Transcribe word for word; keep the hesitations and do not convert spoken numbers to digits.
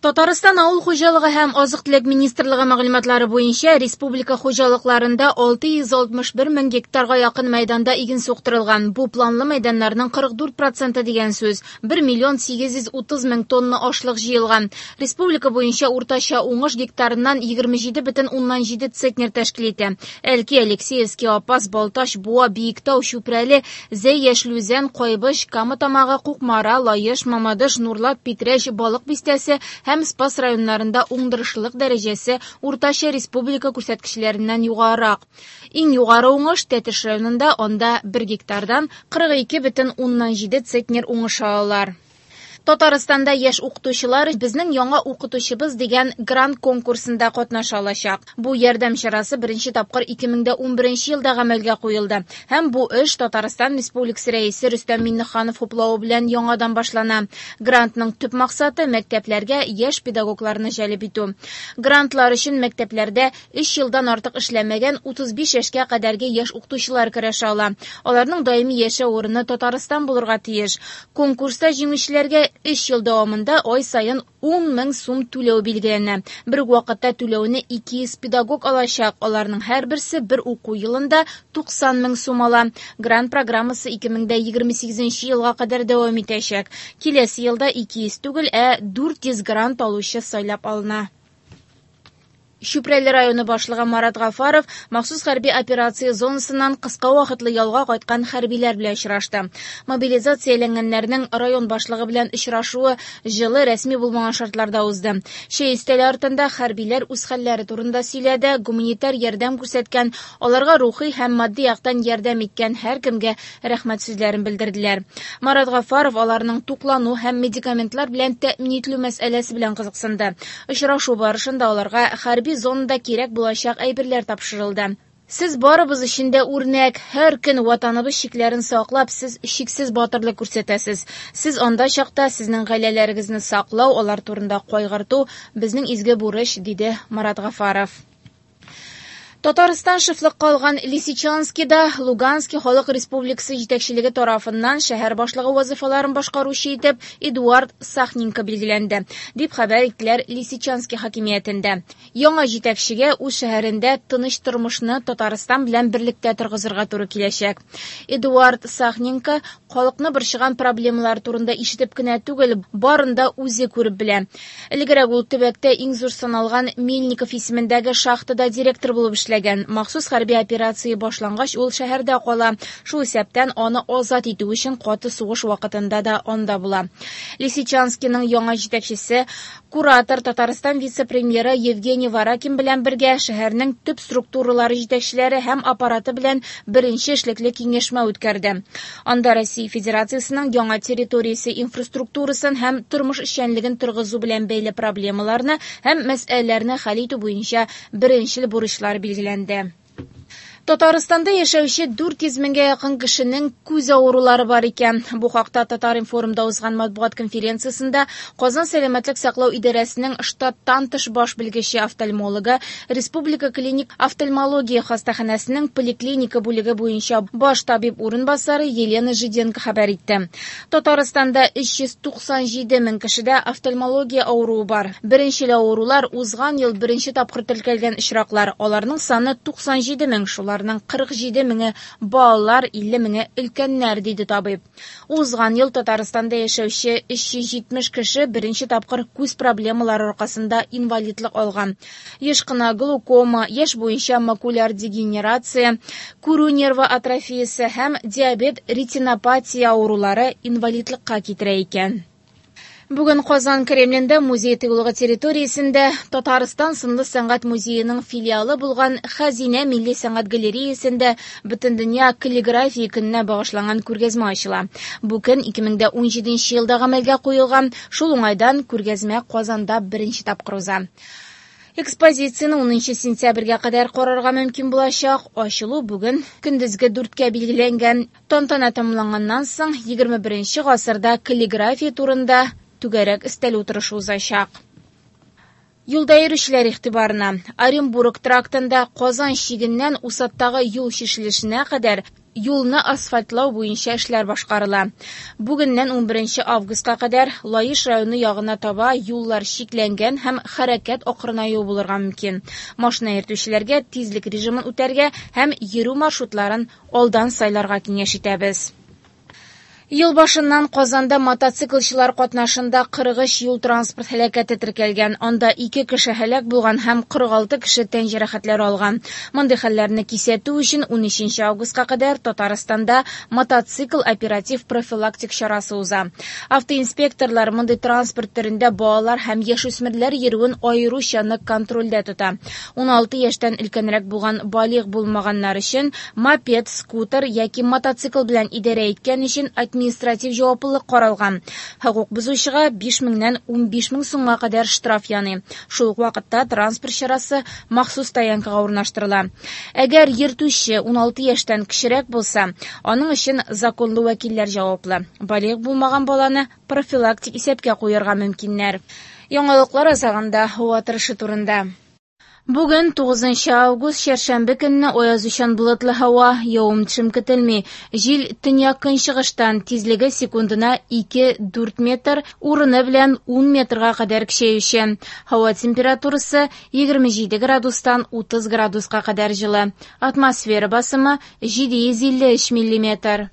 Татарстан авыл хуҗалыгы һәм азык-төлек министрлыгы мәгълүматлары буенча республика хуҗалыкларында алты йөз алтмыш бер мең гектарга якын мәйданда иген суктырылган. Бу планлы мәйданнарның кырык дүрт проценты дигән сүз. бер миллион сигез йөз утыз мең тонна ашлык җыелган. Республика буенча уртача уңыш гектарыннан егерме җиде бөтен уннан җиде центнер тәшкил итә. Әлки, Алексеевский, Апас, Балтач, Буа, Биектау, Чүпрәле, Зәй, Яшел Үзән, Кайбыч, Кама Тамагы, Кукмара, Лаеш, Мамадыш, Нурлат, Питрәч, Балык Бистәсе һәм Спас районнарында уңдырышлылык дәрәҗәсе уртача республика күрсәткечләреннән югарырак. Иң югары уңыш Тәтеш районында, анда бер гектардан кырык ике бөтен уннан җиде центнер уңыш алалар. Татарстанда яшь укытучылар безнең яңа укытучыбыз дигән грант конкурсында катнаша алачак. Бу ярдәм чарасы беренче тапкыр ике мең дә унберенче елда гамәлгә куелды. Һәм бу эш Татарстан Республикасы Рәисе Рөстәм Миңнеханов хуплавы белән яңадан башлана. Грантның төп максаты мәктәпләргә яшь педагогларны җәлеп итү. Грантлар өчен мәктәпләрдә өч елдан артык эшләмәгән утыз биш яшькә кадәрге яшь укытучылар көрәшә ала. Аларның даими яшәү урыны Татарстан булырга тиеш. Конкурста җиңүчеләргә өч ел дәвамында ай саен ун мең сум түләү билгеләнә. Бер үк вакытта түләүне ике йөз педагог алачак. Аларның һәрберсе бер уку елында туксан мең сум ала. Грант программасы ике мең дә егерме сигезенче елга кадәр дәвам итәчәк. Киләсе елда ике йөз түгел, ә дүрт йөз грант алучы сайлап алына. Чүпрәле районы башлыгы Марат Гафаров махсус хәрби операция зонасыннан кыска вакытлы ялга кайткан хәрбиләр белән очрашты. Мобилизацияләнгәннәрнең район башлыгы белән очрашуы җылы рәсми булмаган шартларда узды. Чәй өстәле артында хәрбиләр үз хәлләре турында сөйләде, гуманитар ярдәм күрсәткән, аларга рухи һәм матди яктан ярдәм иткән һәркемгә рәхмәт сүзләрен белдерделәр. Марат Гафаров аларның туклану һәм медикаментлар белән тәэмин ителү мәсьәләсе белән кызыксынды. Очрашу барышында аларга хәрби зонада кирәк булачак әйберләр тапшырылды. Сез барыбыз өчен дә үрнәк, һәр көн ватаныбыз чикләрен саклап, сез чиксез батырлык күрсәтәсез. Сез анда чакта сезнең гаиләләрегезне саклау, алар турында кайгырту безнең изге бурыч, диде Марат Гафаров. Татарстан шефлыкка алган Лисичанскида Луганский халык республикасы җитәкчелеге тарафыннан шәһәр башлыгы вазифаларын башкаручы итеп Эдуард Сахненко билгеләнде, дип хәбәр иттеләр Лисичанский хакимиятендә. Яңа җитәкчегә үз шәһәрендә тыныч тормышны Татарстан белән берлектә торгызырга туры киләчәк. Эдуард Сахненко халыкны борчыган проблемалар турында ишетеп кенә түгел, барын да үзе күреп белә. Элегрәк ул төбәктә иң зур саналган Мельников исемендәге шахтада директор булып эшләгән. Махсус хәрби операция башлангач, ул шәһәрдә кала. Шул исәптән аны азат итү өчен каты сугыш вакытында да анда була. Лисичанскийның яңа җитәкчесе, куратор Татарстан вице-премьеры Евгений Варакин белән бергә шәһәрнең төп структуралары җитәкчеләре һәм аппараты белән беренче эшлекле киңәшмә үткәрде. Анда Россия Федерациясенең яңа территориясе инфраструктурасын һәм тормыш эшчәнлеген торгызу белән бәйле проблемаларны һәм мәсьәләләрне хәл итү буенча беренчел бурычлар билгеләнде. Татарстанда яшәүче дүрт йөз меңгә якын кешенең күз авырулары бар икән. Бу хакта Татар-информда узган матбугат конференциясендә Казан сәламәтлек саклау идарәсенең штаттан тыш баш белгече офтальмологы, Республика клиник офтальмология хастаханәсенең поликлиника бүлеге буенча баш табиб урынбасары Елена Жиденко хәбәр итте. Татарстанда өч йөз туксан җиде мең кешедә офтальмология авыруы бар. Беренчел авырулар узган ел беренче тапкыр теркәлгән очраклар. Аларның саны туксан җиде мең, шулар кырык җиде меңе балалар, илле меңе өлкәннәр, диде табиб. Узган ел Татарстанда яшәүче өч йөз җитмеш кеше беренче тапкыр күз проблемалары аркасында инвалидлык алган. Еш кына глаукома, яшь буенча макуляр дегенерация, күрү нервы атрофиясе һәм диабет ретинопатия авырулары инвалидлыкка китерә икән. Бүген Казан Кремлендә музей тыюлыгы территориясендә Татарстан сынлы сәнгать музееның филиалы булган Хәзинә милли сәнгать галереясендә Бөтендөнья каллиграфия көненә багышланган күргәзмә ачыла. Бу көн ике мең дә унҗиденче елда гамәлгә куелган, шул уңайдан күргәзмә Казанда беренче тапкыр уза. Экспозицияне унынчы сентябрьгә кадәр карарга мөмкин булачак. Ачылу бүген көндезге дүрткә билгеләнгән. Тантана тәмамланганнан соң егерме беренче гасырда каллиграфия турында түгәрәк өстәл утырышы узачак. Юлда йөрүчеләр игътибарына. Оренбург трактында Казан чигеннән Усаттагы юл чишелешенә кадәр юлны асфальтлау буенча эшләр башкарыла. Бүгеннән унберенче августка кадәр Лаеш районы ягына таба юллар чикләнгән һәм хәрәкәт акрынаюы булырга мөмкин. Машина йөртүчеләргә тизлек режимын үтәргә һәм йөрү маршрутларын алдан сайларга киңәш итәбез. Ел башыннан Казанда мотоциклчылар катнашында кырык өч юл-транспорт һәлакәте теркәлгән. Анда ике кеше һәлак булган һәм кырык алты кеше тән җәрәхәтләре алган. Мондый хәлләрне кисәтү өчен унөченче августка кадәр Татарстанда мотоцикл оператив профилактик чарасы уза. Автоинспекторлар мондый транспорт төрендә балалар һәм яшүсмерләр йөрүен аеруча нык контрольдә тота. Уналты яшьтән өлкәнрәк булган балигъ булмаганнар өчен мопед, скутер яки мотоцикл белән идарә иткән өчен административ җаваплылык каралган. Хокук бозучыга биш меңнән унбиш мең сумга кадәр штраф яный. Шул ук вакытта транспорт чарасы махсус стоянкага урнаштырыла. Әгәр йөртүче уналты яшьтән кечерәк булса, аның өчен законлы вәкилләр җаваплы. Балигъ булмаган баланы профилактик исәпкә куярга мөмкиннәр. Яңалыклар азагында һава торышы турында. Бүген тугызынчы август чәршәмбе көнне аязучан болытлы һава, явым-төшем көтелми. Җил төньяк-көнчыгыштан, тизлеге секундына ике-дүрт метр, урыны белән ун метрга кадәр көчәюче. Һава температурасы егерме җиде градустан утыз градуска кадәр җылы. Атмосфера басымы җиде йөз илле өч миллиметр.